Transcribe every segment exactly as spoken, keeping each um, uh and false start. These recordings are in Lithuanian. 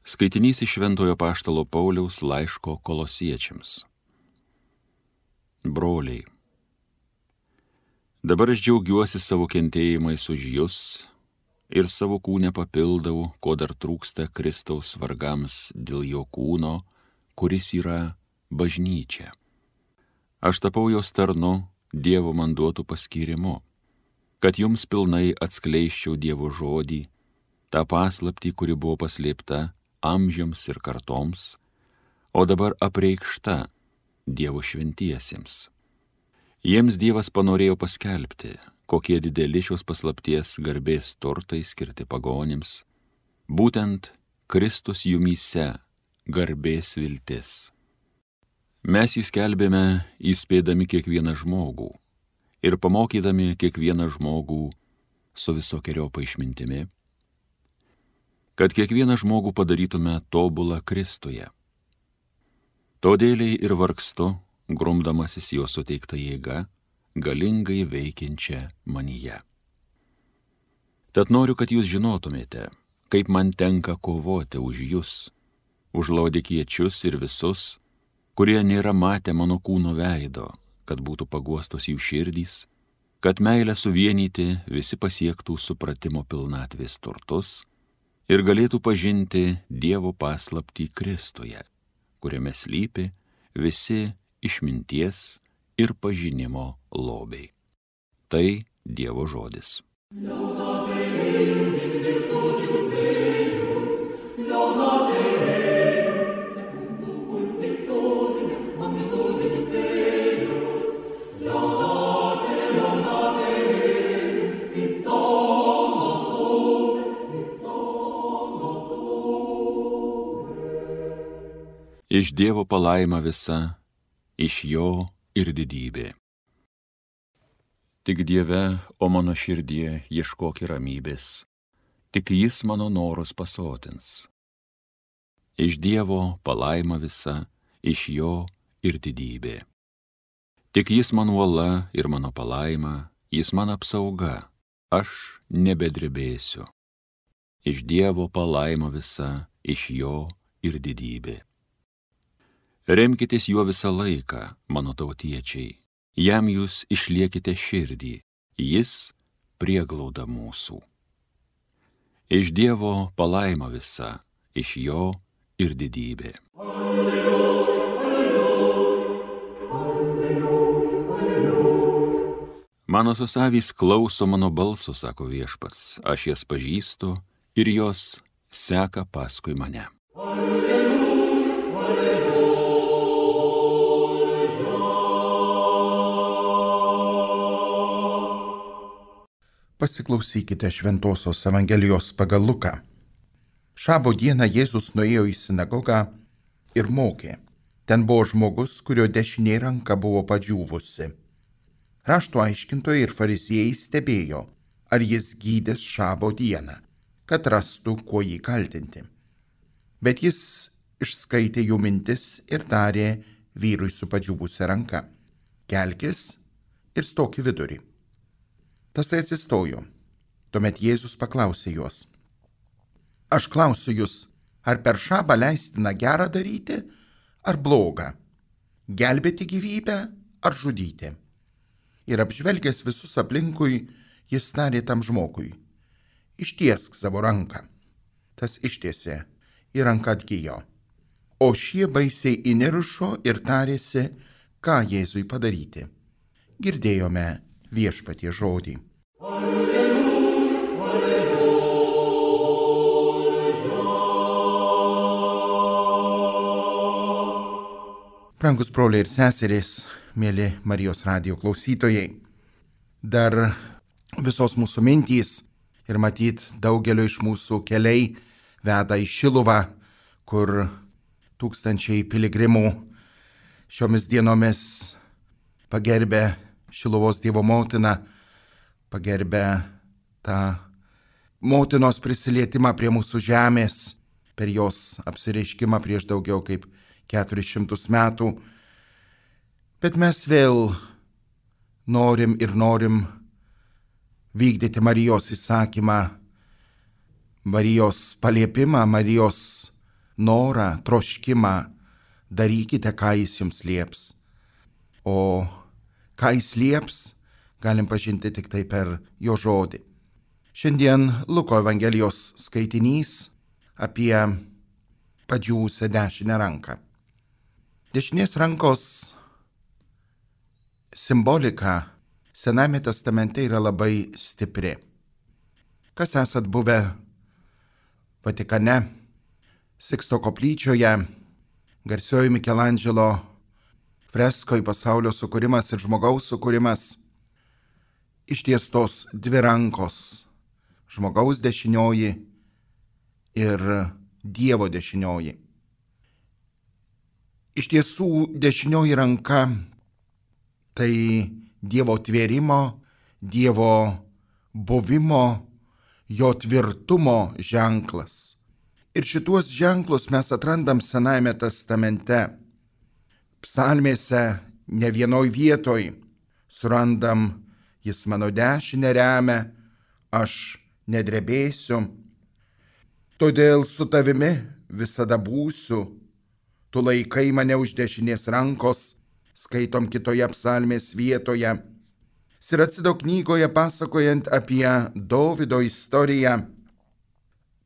Skaitinys iš Šventojo Apaštalo Pauliaus laiško Kolosiečiams. Broliai, dabar aš džiaugiuosi savo kentėjimais už jus ir savo kūnę papildau, ko dar trūksta Kristaus vargams dėl jo kūno, kuris yra bažnyčia. Aš tapau jos tarnu Dievo man duotų paskyrimu, kad jums pilnai atskleisčiau Dievo žodį, tą paslaptį, kuri buvo paslėpta amžiams ir kartoms, o dabar apreikšta Dievo šventiesiems. Jiems Dievas panorėjo paskelbti, kokie dideli šios paslapties garbės turtai skirti pagonims, būtent Kristus jumyse garbės viltis. Mes jį skelbėme įspėdami kiekvieną žmogų ir pamokydami kiekvieną žmogų su visokeriopą išmintimi, kad kiekvieną žmogų padarytume tobulą Kristuje. Todėliai ir vargstu, grumdamasis jo suteikta jėga, galingai veikiančia manyje. Tad noriu, kad jūs žinotumėte, kaip man tenka kovoti už jūs, už laodikiečius ir visus, kurie nėra matę mano kūno veido, kad būtų paguostos jų širdys, kad meilę suvienyti visi pasiektų supratimo pilnatvės turtus ir galėtų pažinti Dievo paslaptį Kristuje, kuriame slypi visi išminties ir pažinimo lobiai. Tai Dievo žodis. Iš Dievo palaima visa, iš jo ir didybė. Tik Dieve, o mano širdie, ieškok ramybės, tik jis mano norus pasotins. Iš Dievo palaima visa, iš jo ir didybė. Tik jis man uola ir mano palaima, jis man apsauga, aš nebedrebėsiu. Iš Dievo palaima visa, iš jo ir didybė. Remkitės juo visą laiką, mano tautiečiai, jam jūs išliekite širdį, jis prieglauda mūsų. Iš Dievo palaima visa, iš jo ir didybė. Alleluja, alleluja, alleluja. Mano susavys klauso mano balso, sako Viešpats, aš jas pažįstu ir jos seka paskui mane. Alleluja, alleluja. Pasiklausykite Šventosios Evangelijos pagal Luką. Šabo dieną Jėzus nuėjo į sinagogą ir mokė. Ten buvo žmogus, kurio dešinė ranka buvo padžiūvusi. Rašto aiškintojai ir fariziejai stebėjo, ar jis gydės šabo dieną, kad rastų, kuo jį kaltinti. Bet jis išskaitė jų mintis ir tarė vyrui su padžiūvusia ranka: kelkis ir stok į vidurį. Tasai atsistojo. Tuomet Jėzus paklausė juos: aš klausiu jūs, ar per šabą leistina gerą daryti, ar blogą, gelbėti gyvybę, ar žudyti? Ir apžvelgęs visus aplinkui, jis tarė tam žmogui: ištiesk savo ranką. Tas ištiesė, ir ranka atgijo. O šie baisiai įniršo ir tarėsi, ką Jėzui padaryti. Girdėjome Viešpatie žodį. Alleluja, alleluja. Brangus broliai ir seserys, mėly Marijos radijo klausytojai, dar visos mūsų mintys ir matyt daugelio iš mūsų keliai veda į Šiluvą, kur tūkstančiai piligrimų šiomis dienomis pagerbė Šiluvos Dievo motiną, pagerbė tą motinos prisilietimą prie mūsų žemės per jos apsireiškimą prieš daugiau kaip keturis šimtus metų. Bet mes vėl norim ir norim vykdyti Marijos įsakymą, Marijos paliepimą, Marijos norą, troškimą, darykite, ką jis jums lieps. O ką jis lieps, galim pažinti tik tai per jo žodį. Šiandien Luko Evangelijos skaitinys apie padžiūvusią dešinę ranką. Dešinės rankos simbolika Sename testamente yra labai stipri. Kas esat buvę Vatikane, Siksto koplyčioje, garsioji Mikelandželo freskoj Pasaulio sukūrimas ir žmogaus sukūrimas, ištiestos dvi rankos, žmogaus dešinioji ir Dievo dešinioji. Iš tiesų, dešinioji ranka tai Dievo tvėrimo, Dievo buvimo, jo tvirtumo ženklas. Ir šituos ženklus mes atrandam Senajame testamente. Psalmėse ne vienoj vietoj surandam: jis mano dešinę remia, aš nedrebėsiu. Todėl su tavimi visada būsiu, tu laikai mane už dešinės rankos, skaitom kitoje psalmės vietoje. Siracido knygoje pasakojant apie Dovydo istoriją,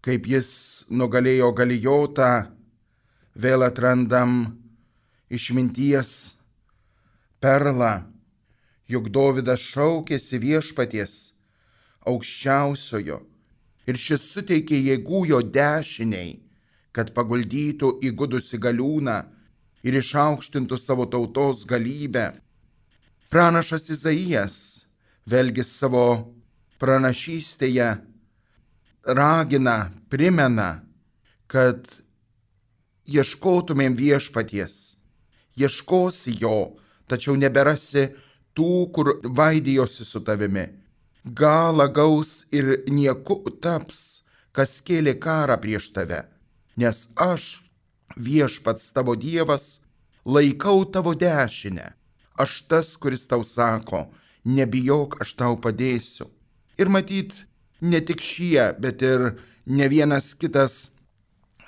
kaip jis nugalėjo Galijotą, vėl atrandam išminties perlą, juk Dovydas šaukėsi viešpaties aukščiausiojo ir šis suteikė jėgų jo dešiniai, kad paguldytų įgudusi galiūną ir išaukštintų savo tautos galybę. Pranašas Izaijas, vėlgi savo pranašystėje, ragina, primena, kad ieškotumėm viešpaties, ieškosi jo, tačiau neberasi tų, kur vaidijosi su tavimi. Galą gaus ir nieku taps, kas kėlė karą prieš tave, nes aš, viešpats tavo Dievas, laikau tavo dešinę. Aš tas, kuris tau sako, nebijok, aš tau padėsiu. Ir matyt, ne tik šie, bet ir ne vienas kitas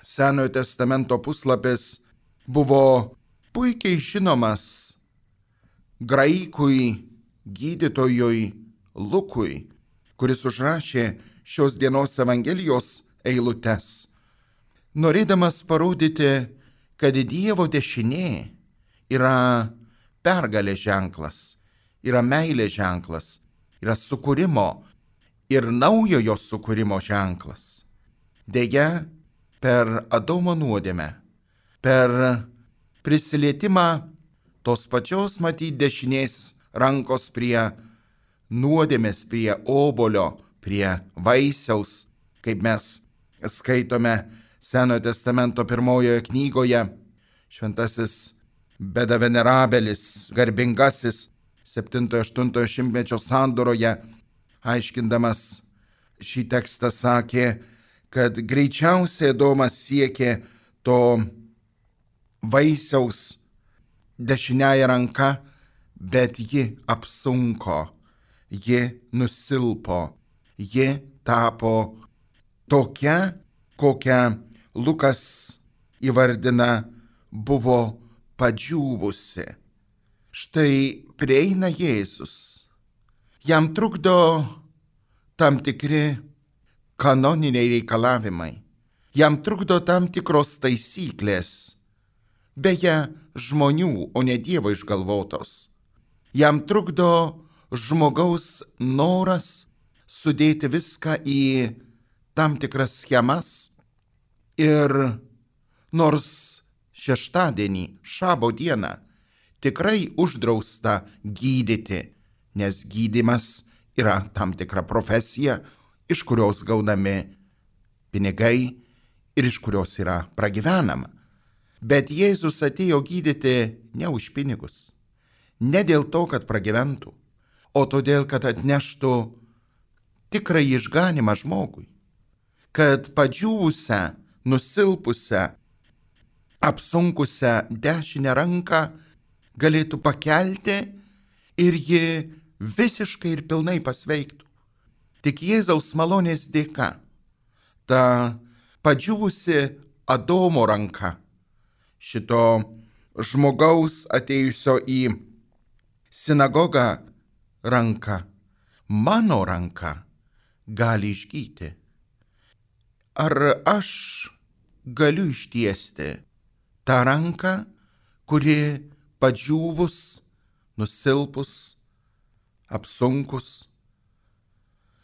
Senojo testamento puslapis buvo puikiai žinomas graikui gydytojui Lukui, kuris užrašė šios dienos Evangelijos eilutes, norėdamas parodyti, kad Dievo dešinė yra pergalės ženklas, yra meilės ženklas, yra sukūrimo ir naujojo sukūrimo ženklas. Deja, per Adomo nuodėmę, per prisilietimą tos pačios matyti dešinės rankos prie nuodėmės, prie obolio, prie vaisiaus, kaip mes skaitome Senojo testamento pirmojoje knygoje, šventasis Beda Venerabelis, garbingasis septintojo aštuntojo šimtmečio sandoroje, aiškindamas šį tekstą sakė, kad greičiausiai Adomas siekė to vaisiaus dešiniąją ranką, bet ji apsunko, ji nusilpo, ji tapo tokia, kokią Lukas įvardina, buvo padžiūvusi. Štai prieina Jėzus. Jam trukdo tam tikri kanoniniai reikalavimai. Jam trukdo tam tikros taisyklės. Beje, žmonių, o ne Dievo išgalvotos. Jam trukdo žmogaus noras sudėti viską į tam tikras schemas. Ir nors šeštadienį, šabo dieną, tikrai uždrausta gydyti, nes gydymas yra tam tikra profesija, iš kurios gaunami pinigai ir iš kurios yra pragyvenama. Bet Jėzus atėjo gydyti ne už pinigus, ne dėl to, kad pragyventų, o todėl, kad atneštų tikrą išganimą žmogui, kad padžiūvusią, nusilpusią, apsunkusią dešinę ranką galėtų pakelti ir ji visiškai ir pilnai pasveiktų. Tik Jėzaus malonės dėka ta padžiūvusi, Adomo ranka, šito žmogaus atėjusio į sinagogą ranka, mano ranka gali išgyti. Ar aš galiu ištiesti tą ranką, kuri padžiūvus, nusilpus, apsunkus?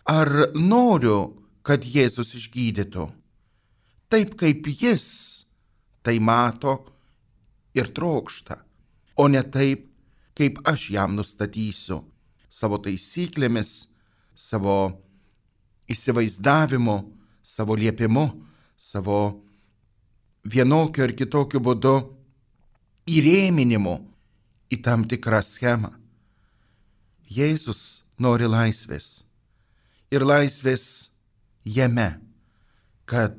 Ar noriu, kad Jėzus išgydytų, taip kaip jis tai mato ir trokšta, o ne taip, kaip aš jam nustatysiu savo taisyklėmis, savo įsivaizdavimu, savo liepimu, savo vienokiu ar kitokiu būdu įrėminimu į tam tikrą schemą. Jėzus nori laisvės ir laisvės jame, kad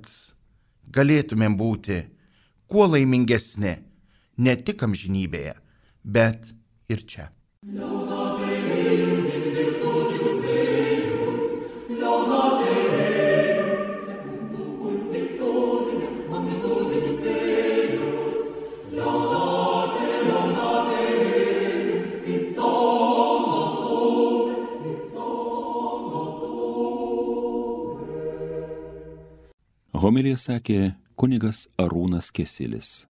galėtumėm būti kuo laimingesni ne tik amžinybėje, bet ir čia. Homiliją sakė kunigas Arūnas Kesilis.